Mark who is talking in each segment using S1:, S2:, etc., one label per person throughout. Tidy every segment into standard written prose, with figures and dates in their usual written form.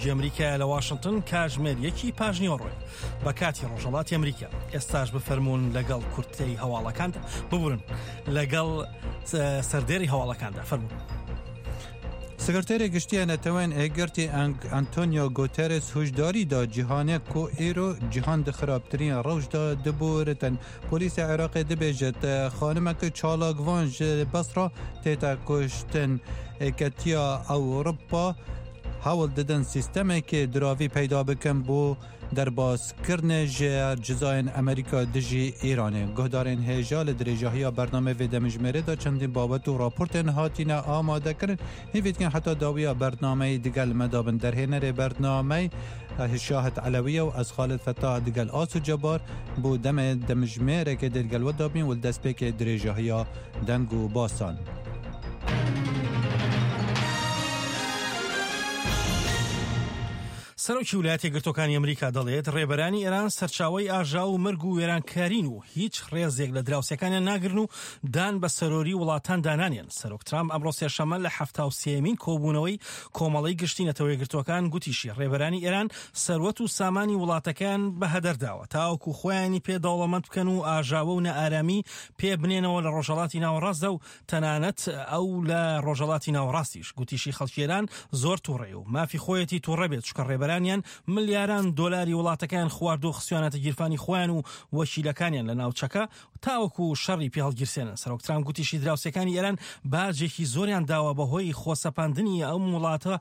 S1: ئەمریکایە لە واشنتن کاژمێر یەکی پاش نیوەڕۆیە بە کاتی ڕۆژهەڵاتی ئەمریکا. ئێستاش بفەرموون لەگەڵ کورتەی هەواڵەکاندا ببورن لەگەڵ سەردێری هەواڵەکاندا فەرموون.
S2: سکرتێرê Giştî yê Neteweyên Yekgirtî Antonio Guterres huşdarî da cîhanê ku îro cîhan di xirabtirîn rewş de dibûritin. Polîsê Iraqê dibêje xanimek çalakvan ji Besra tête kuştin. Yeketiya Ewropa hewl didin sîstemekê diravî peyda bikin bo derbaskirinê ji cizayên Amerîka dijî Îranê. Guhdarên hêja li dirêjahiya bernameyê vê demijmêrê de çendîn babet û raportên hatîne amadekirin. Hêvî dikin heta dawiya bernameyê digel me de bin. Derhênerê bernameyê Şahid Elewî ye û ez Xalid Fetah digel Aso Cebar bo demê demijmêrekê dê digel we de bîn û li destpêkê dirêjahiya deng û basan.
S1: سەرۆکی ویلایەتە یەکگرتووەکانی ئەمریکا دەڵێت، ڕێبەرانی ئێران سەرچاوەی ئاژاوە و مەرگ و وێرانکارین و هیچ ڕێزێک لە دراوسێکانیان ناگرن و دان بە سەرۆری وڵاتاندا نانێن. سەرۆک ترامپ ئەمڕۆ سێشەممە لە 73مین کۆبوونەوەی کۆمەڵەی گشتی نەتەوە یەکگرتووەکان گوتیشی، ڕێبەرانی ئێران سەروەت و سامانی وڵاتەکەیان بە هەدەر داوە تاوەکو خۆیانی پێ دەوڵەمەند بکەن و ئاژاوە و نائارامی پێ بنێنەوە لە ڕۆژهەڵاتی ناوەڕاستدا و تەنانەت ئەو لە ڕۆژهەڵاتی ناوەڕاستیش. گوتیشی خەڵکی ئێران زۆر توڕەیە و مافی خۆیەتی توڕە بێت چونکە ڕێبەرانیان ملیاران دۆلاری وڵاتەکەیان خواردووە خستویانەتە گیرفانی خۆیان و وەکیلەکانیان لە ناوچەکە تاوەکو شەڕی پێ هەڵگیرسێنن. سەرۆک ترامپ گوتیشی دراوسێکانی ئێران باجێکی زۆریان داوە بەهۆی خۆسەپاندنی ئەم وڵاتە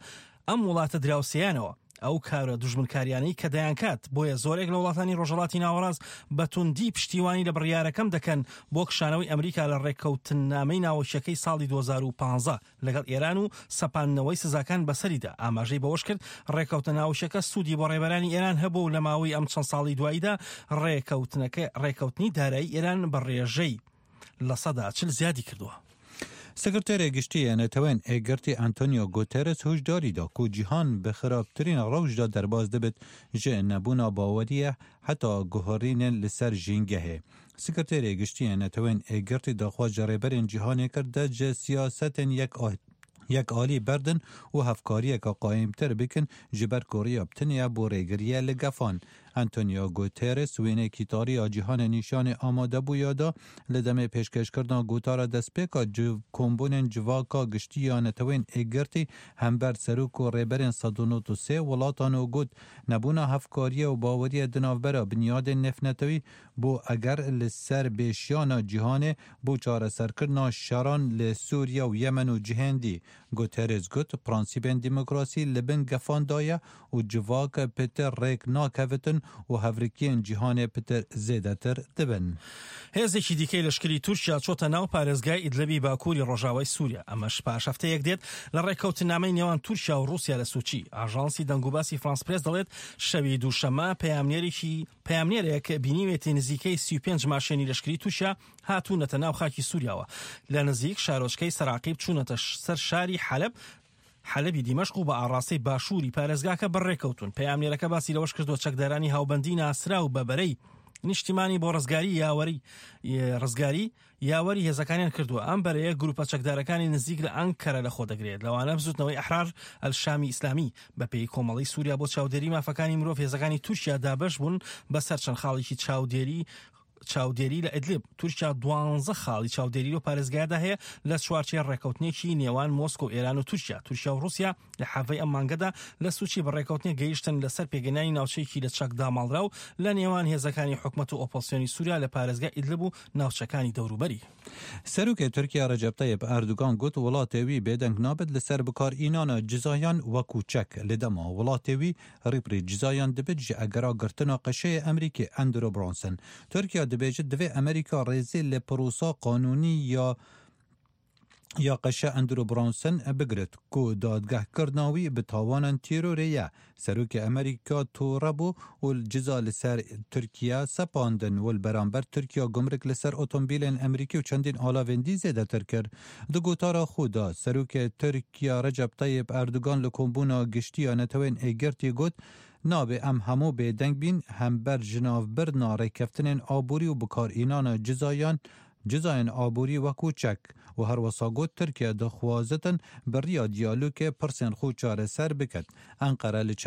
S1: ئەم وڵاتە دراوسێیانەوە ئەو کارە دوژمنکاریانەی کە دەیانکات، بۆیە زۆرێک لە وڵاتانی ڕۆژهەڵاتی ناوەڕاست بە توندی پشتیوانی لە بڕیارەکەم دەکەن بۆ کشانەوەی ئەمریکا لە ڕێککەوتننامەی ناوەکیەکەی ساڵی 2015 لەگەڵ ئێران و سەپاندنەوەی سزاکان بەسەریدا. ئاماژەی بەوەشکرد، ڕێککەوتنە ناوەکیەکە سوودی بۆ ڕێبەرانی ئێران هەبووە و لە ماوەی ئەم چەند ساڵەی دواییدا ڕێککەوتنەکە ڕێککەوتنی دارایی ئێران بە ڕێژەی 40% زیادی کردووە.
S2: سکرتێرê Giştî yê Neteweyên Yekgirtî Antonio Guterres huşdarî da ku cîhan bi xirabtirîn rewş de derbas dibit ji nebûna baweriyê heta guherînên li ser jîngehê. Sekreterê Giştî yê Neteweyên Yekgirtî daxwaz ji rêberên cîhanê kir dest ji siyasetên yek yek alî berdin û hevkariyeke qayîmtir bikin ji ber ku riya bi tenê ye bo rêgiriyê li gefan. Antonio Guterres wêneyekî tarî ya cîhanê nîşanê amadebûya da li demê pêşkêşkirina gotara destpêka kombûnên civaka giştî ya Neteweyên Yekgirtî hember serok û rêberên 193 welatan û got, Nebûna hevkariyê û baweriyê di navbera binyadên nêvnetewî Bo eger li ser bêşiyana cîhanê bo çareserkirina şeran li Sûriye û Yemen û cihên dî, Guterres got, Prensîpên demokrasî li bin gefan de ye û civak pitir rêk nakevitin û hevrikiyên cîhanê pitir zêdetir dibin.
S1: هێزێکی دیکەی لەشکری تورکیا چۆتە ناو پارێزگای ئیدلبی باکووری ڕۆژاوای سووریا، ئەمەش پاش هەفتەیەک دێت لە ڕێککەوتننامەی نێوان تورکیا و ڕووسیا لە سوچی. ئاژانسی دەنگوباسی فرانس پرێس دەڵێت، شەوی دووشەممە پەیامنێرێکی پەیامنێرێک بینیوێتی نزیکەی 35 ماشێنی لەشکری تورکیا هاتوونەتە ناو خاکی سووریاوە لە نزیک شارۆچکەی سەراقیب چوونەتە سەر شاری حەلەب حەلەبی دیمەشق و بە ئاڕاستەی باشووری پارێزگاکە بەڕێکەوتون. پەیامنێرەکە باسی لەوەش کردووە چەکدارانی هاوبەندی ناسراو بە بەرەی نیشتیمانی بۆ ڕزگاری یاوەری ڕزگاری یاوەری هێزەکانیان کردووە. ئەم بەرەیە گروپە چەکدارەکانی نزیک لە ئەنکەرە لەخۆ دەگرێت، لەوانە بزوتنەوەی ئەحرار ئەلشامی ئیسلامی. بەپێی کۆمەڵەی سوریا بۆ چاودێری مافەکانی مرۆڤ، هێزەکانی تورکیا دابەش بوون بەسەر چەند خاڵێکی چاودێری چاودێری لە ئیدلب. تورکیا دوانزە خاڵی چاودێری لەو پارێزگایەدا هەیە لە چوارچێوەی ڕێککەوتنێکی نێوان مۆسکۆ و ئێران و تورکیا. تورکیا و ڕووسیا لە حەڤەی ئەم مانگەدا لە سوچی بە ڕێککەوتنێک گەیشتن لەسەر پێکهێنانی ناوچەیەکی لە چەک داماڵراو لە نێوان هێزەکانی حکومەت و ئۆپۆزسیۆنی سوریا لە پارێزگای ئیدلب و ناوچەکانی دەوروبەری.
S2: سەرۆکê Tirkiye Recep Tayyip Erdogan got welatê wî bêdeng nabit li ser bikarînana cizayan wekû çek li dema welatê wî rî bi rî cizayan dibit ji egera girtina qeşeyê Amerîkê Andrew Brunson. Tirkiye dibêje divê Amerîka rêzê li prosa qanûnî ya ya qeşe Andrew Brunson bigirit ku dadgehkirina wî bi tawanan terorê ye. Serokê Amerîka tore bû û ciza li ser Tirkiye sepandin û li beramber Tirkiye gumrik li ser otomobîlên Amerîkî û çendîn alavên dî zêdetir kir. Di gotara xwe de Serokê Tirkiye Recep Tayyip Erdogan li Kombûna Giştî ya Neteweyên Yekgirtî got, Nabe em hemû bêdeng bîn hember jinavbirina rêkeftinên aborî û bikarînana cizayan. جزایên aborî wekû çek û herwisa got Tirkiye dixwazin bi riya diyalogê pirsên xwe çareser biket. Enqere li çend.